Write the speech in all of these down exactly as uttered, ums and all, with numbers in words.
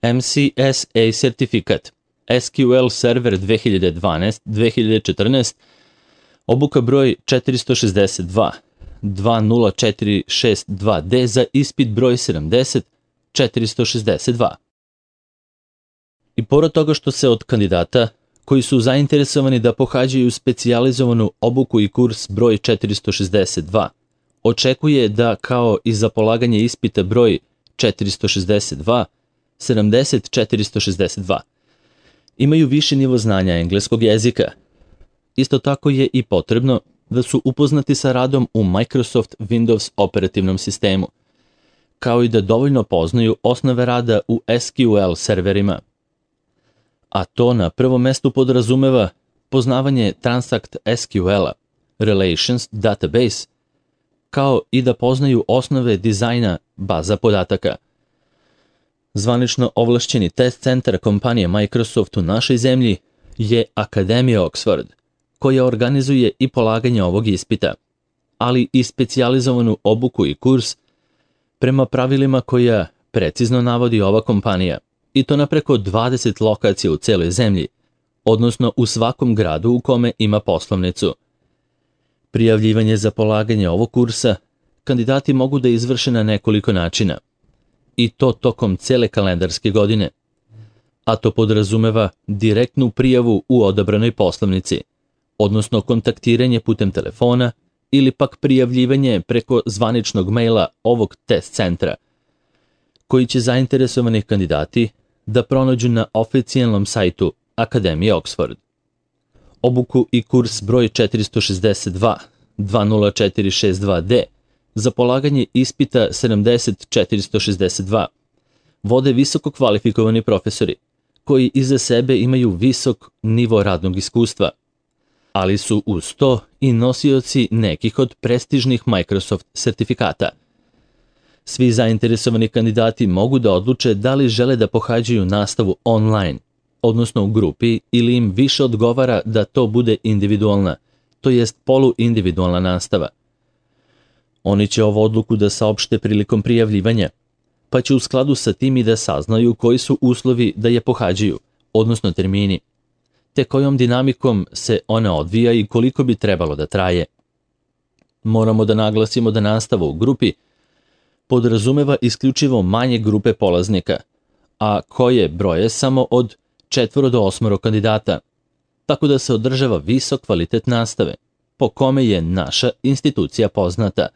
M C S A sertifikat, S Q L Server dve hiljade dvanaest do dve hiljade četrnaest, obuka broj četiristo šezdeset dva dva nula četiri šest dva D za ispit broj sedamdeset četiristo šezdeset dva. I pored toga što se od kandidata koji su zainteresovani da pohađaju specijalizovanu obuku i kurs broj četiristo šezdeset dva, očekuje da kao i za polaganje ispita broj četiristo šezdeset dva sedamdeset četiristo šezdeset dva, imaju viši nivo znanja engleskog jezika. Isto tako je i potrebno da su upoznati sa radom u Microsoft Windows operativnom sistemu, kao i da dovoljno poznaju osnove rada u S Q L serverima. A to na prvom mestu podrazumeva poznavanje Transact S Q L-a, Relations Database, kao i da poznaju osnove dizajna baza podataka. Zvanično ovlašćeni test centar kompanije Microsoft u našoj zemlji je Akademija Oxford, koja organizuje i polaganje ovog ispita, ali i specijalizovanu obuku i kurs prema pravilima koja precizno navodi ova kompanija, i to na preko dvadeset lokacija u celoj zemlji, odnosno u svakom gradu u kome ima poslovnicu. Prijavljivanje za polaganje ovog kursa kandidati mogu da izvrše na nekoliko načina, i to tokom cele kalendarske godine, a to podrazumeva direktnu prijavu u odabranoj poslovnici, odnosno kontaktiranje putem telefona ili pak prijavljivanje preko zvaničnog maila ovog test centra, koji će zainteresovani kandidati da pronađu na oficijalnom sajtu Akademije Oxford. Obuku i kurs broj četiristo šezdeset dva dva nula četiri šest dva D za polaganje ispita sedamdeset četiristo šezdeset dva vode visoko kvalifikovani profesori, koji iza sebe imaju visok nivo radnog iskustva, ali su uz to i nosioci nekih od prestižnih Microsoft sertifikata. Svi zainteresovani kandidati mogu da odluče da li žele da pohađaju nastavu online, odnosno u grupi, ili im više odgovara da to bude individualna, to jest poluindividualna nastava. Oni će ovu odluku da saopšte prilikom prijavljivanja, pa će u skladu sa tim i da saznaju koji su uslovi da je pohađaju, odnosno termini, te kojom dinamikom se ona odvija i koliko bi trebalo da traje. Moramo da naglasimo da nastava u grupi podrazumeva isključivo manje grupe polaznika, a koje broje samo od četvoro do osmoro kandidata, tako da se održava visok kvalitet nastave, po kome je naša institucija poznata.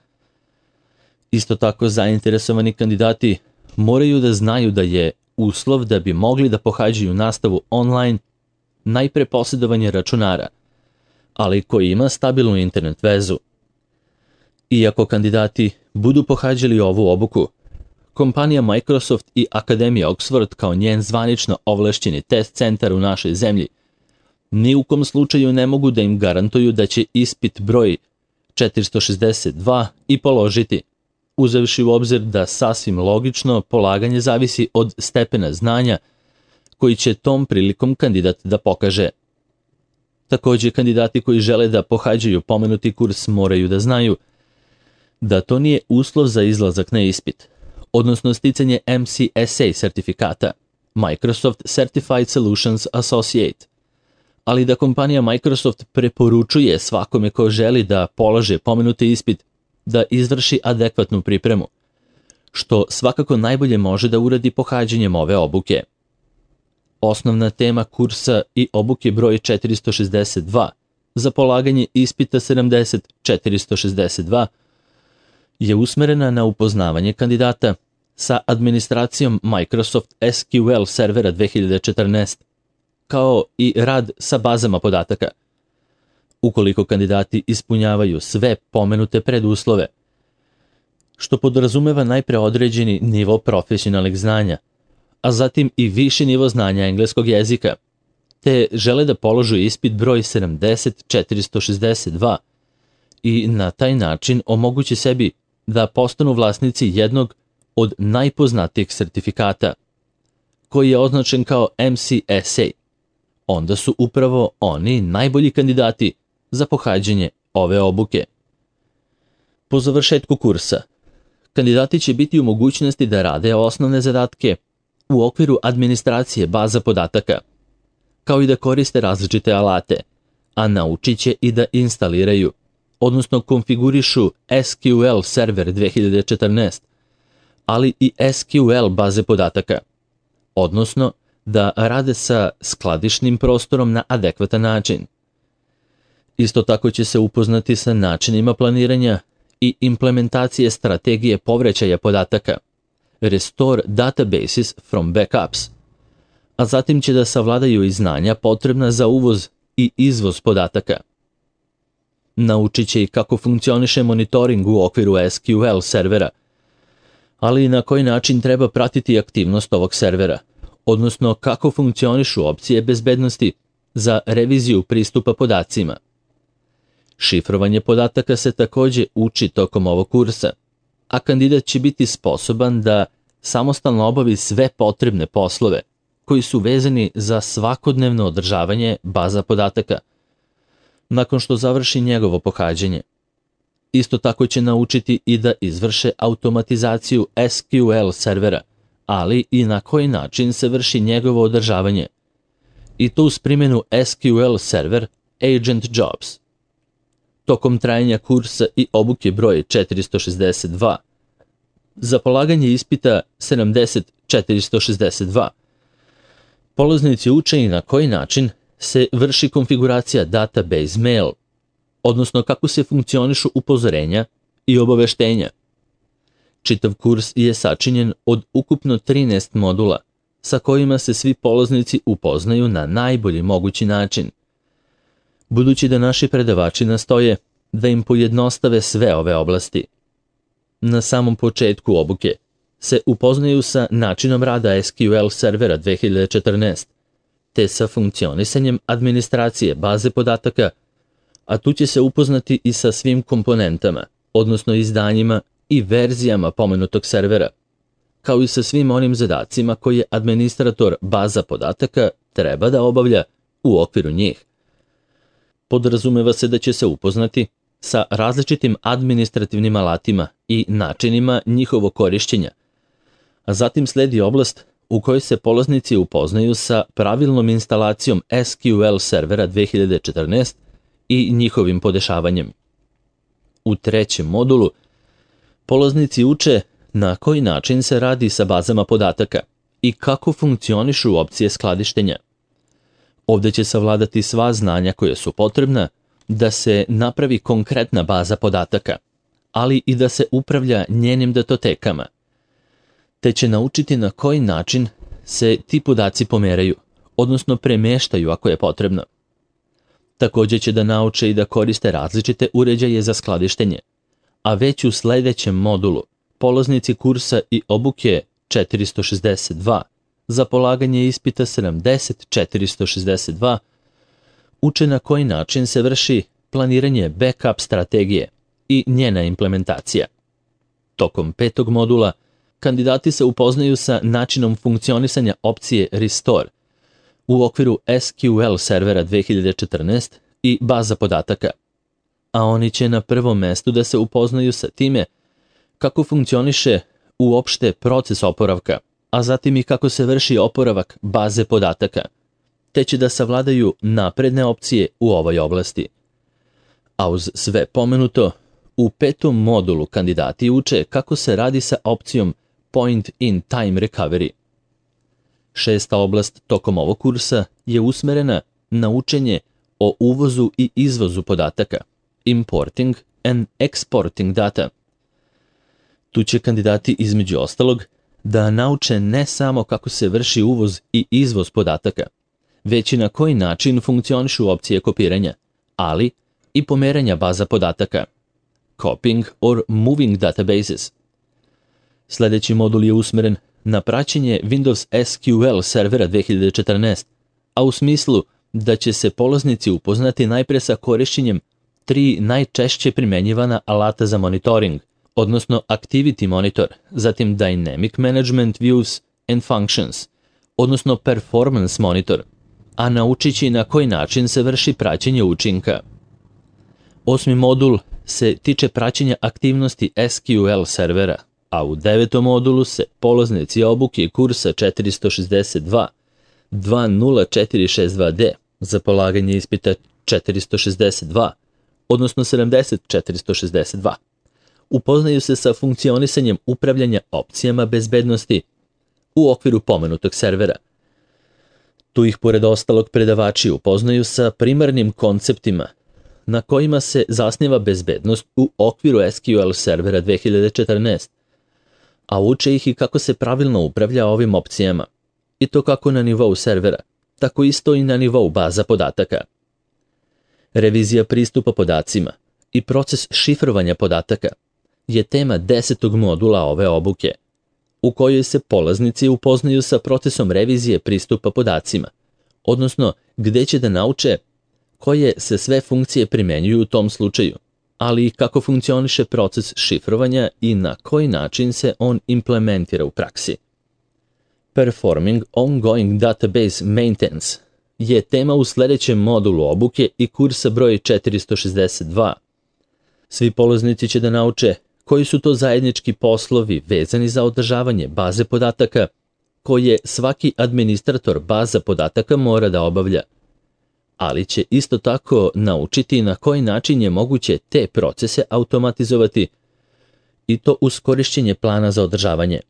Isto tako zainteresovani kandidati moraju da znaju da je uslov da bi mogli da pohađaju nastavu online najpre posjedovanje računara, ali koji ima stabilnu internet vezu. Iako kandidati budu pohađali ovu obuku, kompanija Microsoft i Akademija Oxford kao njen zvanično ovlašćeni test centar u našoj zemlji ni u kom slučaju ne mogu da im garantuju da će ispit broj četiristo šezdeset dva i položiti, uzevši u obzir da sasvim logično polaganje zavisi od stepena znanja koji će tom prilikom kandidat da pokaže. Također, kandidati koji žele da pohađaju pomenuti kurs moraju da znaju da to nije uslov za izlazak na ispit, odnosno sticanje M C S A sertifikata, Microsoft Certified Solutions Associate, ali da kompanija Microsoft preporučuje svakome ko želi da polaže pomenuti ispit da izvrši adekvatnu pripremu, što svakako najbolje može da uradi pohađanjem ove obuke. Osnovna tema kursa i obuke broj četiristo šezdeset dva za polaganje ispita sedamdeset četiristo šezdeset dva je usmerena na upoznavanje kandidata sa administracijom Microsoft S Q L servera dve hiljade četrnaest, kao i rad sa bazama podataka. Ukoliko kandidati ispunjavaju sve pomenute preduslove, što podrazumeva najpre određeni nivo profesionalnih znanja, a zatim i viši nivo znanja engleskog jezika, te žele da položu ispit broj sedamdeset četiristo šezdeset dva i na taj način omogući sebi da postanu vlasnici jednog od najpoznatijih sertifikata, koji je označen kao M C S A, onda su upravo oni najbolji kandidati za pohađanje ove obuke. Po završetku kursa, kandidati će biti u mogućnosti da rade osnovne zadatke u okviru administracije baza podataka, kao i da koriste različite alate, a naučit će i da instaliraju, odnosno konfigurišu S Q L Server dve hiljade četrnaest, ali i S Q L baze podataka, odnosno da rade sa skladišnim prostorom na adekvatan način. Isto tako će se upoznati sa načinima planiranja i implementacije strategije povraćaja podataka, Restore Databases from Backups, a zatim će da savladaju i znanja potrebna za uvoz i izvoz podataka. Naučit će i kako funkcioniše monitoring u okviru S Q L servera, ali i na koji način treba pratiti aktivnost ovog servera, odnosno kako funkcionišu opcije bezbednosti za reviziju pristupa podacima. Šifrovanje podataka se takođe uči tokom ovog kursa, a kandidat će biti sposoban da samostalno obavi sve potrebne poslove koji su vezani za svakodnevno održavanje baza podataka, nakon što završi njegovo pohađanje. Isto tako će naučiti i da izvrše automatizaciju S Q L servera, ali i na koji način se vrši njegovo održavanje, i to uz primjenu S Q L server Agent Jobs. Tokom trajanja kursa i obuke broj četiristo šezdeset dva, za polaganje ispita sedamdeset četiristo šezdeset dva, polaznici uče i na koji način se vrši konfiguracija database mail, odnosno kako se funkcionišu upozorenja i obaveštenja. Čitav kurs je sačinjen od ukupno trinaest modula, sa kojima se svi polaznici upoznaju na najbolji mogući način. Budući da naši predavači nastoje da im pojednostave sve ove oblasti. Na samom početku obuke se upoznaju sa načinom rada S Q L servera dve hiljade četrnaest, te sa funkcionisanjem administracije baze podataka, a tu će se upoznati i sa svim komponentama, odnosno izdanjima i verzijama pomenutog servera, kao i sa svim onim zadacima koje administrator baza podataka treba da obavlja u okviru njih. Podrazumeva se da će se upoznati sa različitim administrativnim alatima i načinima njihovog korišćenja, a zatim sledi oblast u kojoj se polaznici upoznaju sa pravilnom instalacijom S Q L servera dve hiljade četrnaest i njihovim podešavanjem. U trećem modulu polaznici uče na koji način se radi sa bazama podataka i kako funkcionišu opcije skladištenja. Ovde će savladati sva znanja koje su potrebna da se napravi konkretna baza podataka, ali i da se upravlja njenim datotekama, te će naučiti na koji način se ti podaci pomeraju, odnosno premeštaju ako je potrebno. Takođe će da nauče i da koriste različite uređaje za skladištenje, a već u sledećem modulu polaznici kursa i obuke četiristo šezdeset dva za polaganje ispita sedamdeset četiristo šezdeset dva uče na koji način se vrši planiranje backup strategije i njena implementacija. Tokom petog modula kandidati se upoznaju sa načinom funkcionisanja opcije Restore u okviru S Q L servera dve hiljade četrnaest i baza podataka, a oni će na prvom mestu da se upoznaju sa time kako funkcioniše uopšte proces oporavka, a zatim i kako se vrši oporavak baze podataka, te će da savladaju napredne opcije u ovoj oblasti. A uz sve pomenuto, u petom modulu kandidati uče kako se radi sa opcijom Point in Time Recovery. Šesta oblast tokom ovog kursa je usmerena na učenje o uvozu i izvozu podataka, Importing and Exporting Data. Tu će kandidati između ostalog da nauče ne samo kako se vrši uvoz i izvoz podataka, već i na koji način funkcionišu opcije kopiranja, ali i pomeranja baza podataka, Copying or Moving Databases. Sledeći modul je usmeren na praćenje Windows S Q L servera dve hiljade četrnaest, a u smislu da će se polaznici upoznati najpre sa korišćenjem tri najčešće primenjivana alata za monitoring, odnosno Activity Monitor, zatim Dynamic Management Views and Functions, odnosno Performance Monitor, a naučit će na koji način se vrši praćenje učinka. Osmi modul se tiče praćenja aktivnosti S Q L servera, a u devetom modulu se polaznici obuke kursa četiristo šezdeset dva dva nula četiri šest dva D za polaganje ispita četiristo šezdeset dva, odnosno sedamdeset četiristo šezdeset dva. Upoznaju se sa funkcionisanjem upravljanja opcijama bezbednosti u okviru pomenutog servera. Tu ih pored ostalog predavači upoznaju sa primarnim konceptima na kojima se zasniva bezbednost u okviru S Q L servera dve hiljade četrnaest, a uče ih i kako se pravilno upravlja ovim opcijama, i to kako na nivou servera, tako isto i na nivou baza podataka. Revizija pristupa podacima i proces šifrovanja podataka je tema desetog modula ove obuke, u kojoj se polaznici upoznaju sa procesom revizije pristupa podacima, odnosno gde će da nauče koje se sve funkcije primenjuju u tom slučaju, ali i kako funkcioniše proces šifrovanja i na koji način se on implementira u praksi. Performing Ongoing Database Maintenance je tema u sledećem modulu obuke i kursa broj četiristo šezdeset dva. Svi polaznici će da nauče koji su to zajednički poslovi vezani za održavanje baze podataka koje svaki administrator baza podataka mora da obavlja, ali će isto tako naučiti na koji način je moguće te procese automatizovati i to uz korišćenje plana za održavanje.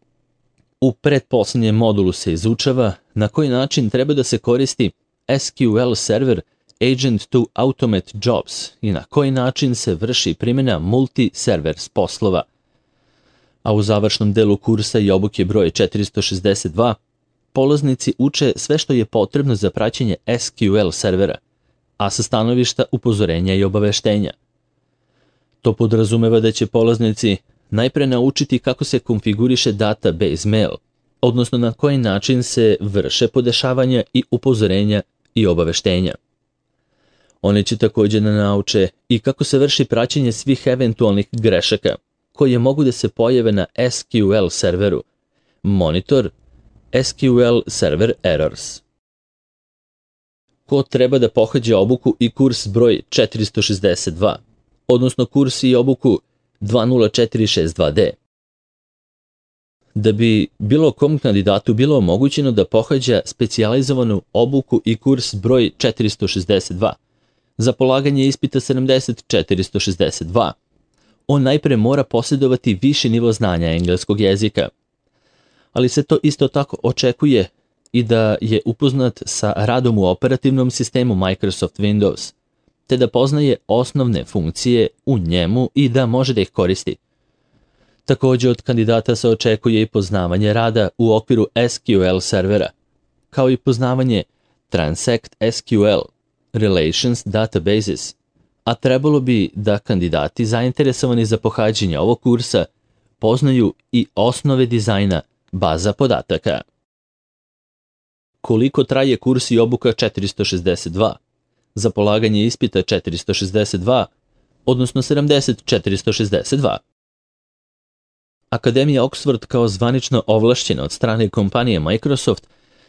U pretposlednjem modulu se izučava na koji način treba da se koristi S Q L server Agent to Automate Jobs i na koji način se vrši primjena multi-servers poslova. A u završnom delu kursa i obuke broj četiristo šezdeset dva polaznici uče sve što je potrebno za praćenje S Q L servera, a sa stanovišta upozorenja i obaveštenja. To podrazumeva da će polaznici najpre naučiti kako se konfiguriše database mail, odnosno na koji način se vrše podešavanja i upozorenja i obaveštenja. Oni će također da nauče i kako se vrši praćenje svih eventualnih grešaka koje mogu da se pojave na S Q L serveru, monitor S Q L server errors. Ko treba da pohađa obuku i kurs broj četiristo šezdeset dva, odnosno kurs i obuku dva nula četiri šest dva D. Da bi bilo kom kandidatu bilo omogućeno da pohađa specijalizovanu obuku i kurs broj četiristo šezdeset dva za polaganje ispita sedamdeset četiristo šezdeset dva, on najpre mora posjedovati viši nivo znanja engleskog jezika, ali se to isto tako očekuje i da je upoznat sa radom u operativnom sistemu Microsoft Windows, te da poznaje osnovne funkcije u njemu i da može da ih koristi. Također od kandidata se očekuje i poznavanje rada u okviru S Q L servera, kao i poznavanje Transact S Q L, Relations Databases, a trebalo bi da kandidati zainteresovani za pohađanje ovog kursa poznaju i osnove dizajna baza podataka. Koliko traje kurs i obuka četiristo šezdeset dva? Za polaganje ispita četiristo šezdeset dva, odnosno sedamdeset četiristo šezdeset dva. Akademija Oxford kao zvanično ovlašćena od strane kompanije Microsoft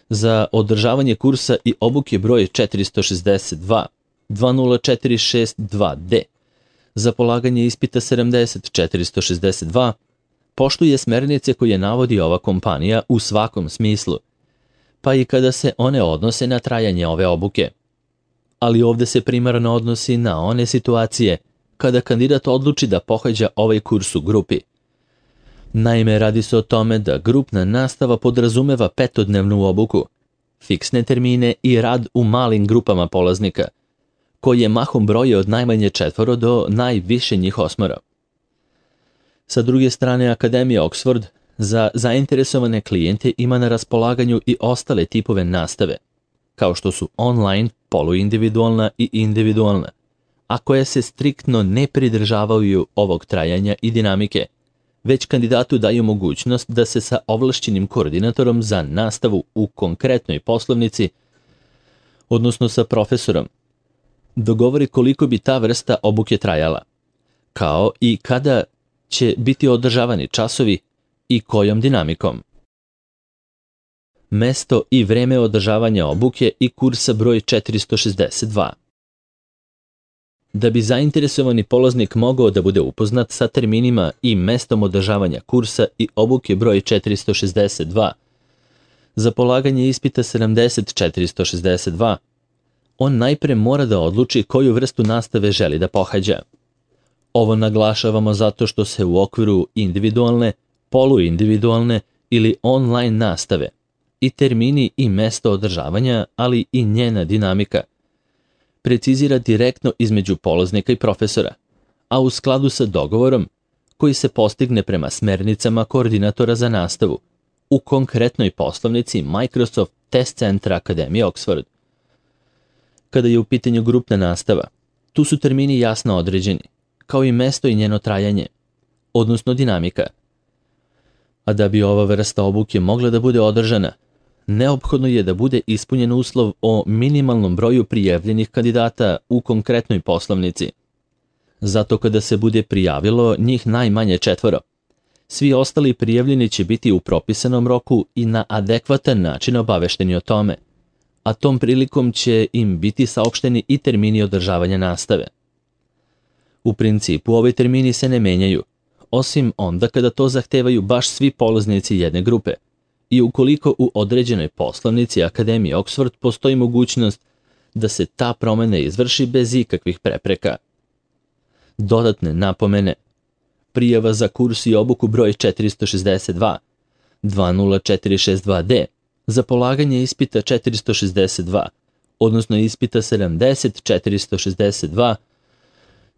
za održavanje kursa i obuke broj četiristo šezdeset dva dva nula četiri šest dva D za polaganje ispita sedamdeset četiristo šezdeset dva poštuje smernice koje navodi ova kompanija u svakom smislu, pa i kada se one odnose na trajanje ove obuke. Ali ovde se primarno odnosi na one situacije kada kandidat odluči da pohađa ovaj kurs u grupi. Naime, radi se o tome da grupna nastava podrazumeva petodnevnu obuku, fiksne termine i rad u malim grupama polaznika, koje mahom broje od najmanje četvoro do najviše njih osmoro. Sa druge strane, Akademija Oxford za zainteresovane klijente ima na raspolaganju i ostale tipove nastave, kao što su online, poluindividualna i individualna, a koje se striktno ne pridržavaju ovog trajanja i dinamike, već kandidatu daju mogućnost da se sa ovlašćenim koordinatorom za nastavu u konkretnoj poslovnici, odnosno sa profesorom, dogovori koliko bi ta vrsta obuke trajala, kao i kada će biti održavani časovi i kojom dinamikom. Mesto i vreme održavanja obuke i kursa broj četiristo šezdeset dva. Da bi zainteresovani polaznik mogao da bude upoznat sa terminima i mestom održavanja kursa i obuke broj četiristo šezdeset dva, za polaganje ispita sedamdeset četiristo šezdeset dva, on najpre mora da odluči koju vrstu nastave želi da pohađa. Ovo naglašavamo zato što se u okviru individualne, poluindividualne ili online nastave i termini i mesto održavanja, ali i njena dinamika, precizira direktno između polaznika i profesora, a u skladu sa dogovorom koji se postigne prema smernicama koordinatora za nastavu u konkretnoj poslovnici Microsoft Test Centra Akademije Oxford. Kada je u pitanju grupna nastava, tu su termini jasno određeni, kao i mesto i njeno trajanje, odnosno dinamika. A da bi ova vrsta obuke mogla da bude održana, neophodno je da bude ispunjen uslov o minimalnom broju prijavljenih kandidata u konkretnoj poslovnici. Zato kada se bude prijavilo njih najmanje četvoro, svi ostali prijavljeni će biti u propisanom roku i na adekvatan način obavešteni o tome, a tom prilikom će im biti saopšteni i termini održavanja nastave. U principu, ovi termini se ne menjaju, osim onda kada to zahtevaju baš svi polaznici jedne grupe i ukoliko u određenoj poslovnici Akademije Oxford postoji mogućnost da se ta promena izvrši bez ikakvih prepreka. Dodatne napomene: prijava za kurs i obuku broj četiristo šezdeset dva dva nula četiri šest dva D za polaganje ispita četiristo šezdeset dva, odnosno ispita sedamdeset četiristo šezdeset dva,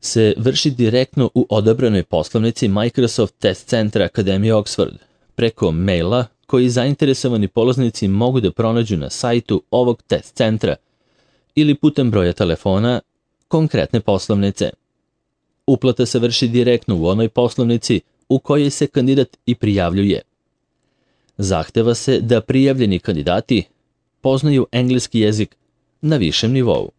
se vrši direktno u odabranoj poslovnici Microsoft Test Centra Akademije Oxford preko maila koji zainteresovani polaznici mogu da pronađu na sajtu ovog test centra ili putem broja telefona konkretne poslovnice. Uplata se vrši direktno u onoj poslovnici u kojoj se kandidat i prijavljuje. Zahteva se da prijavljeni kandidati poznaju engleski jezik na višem nivou.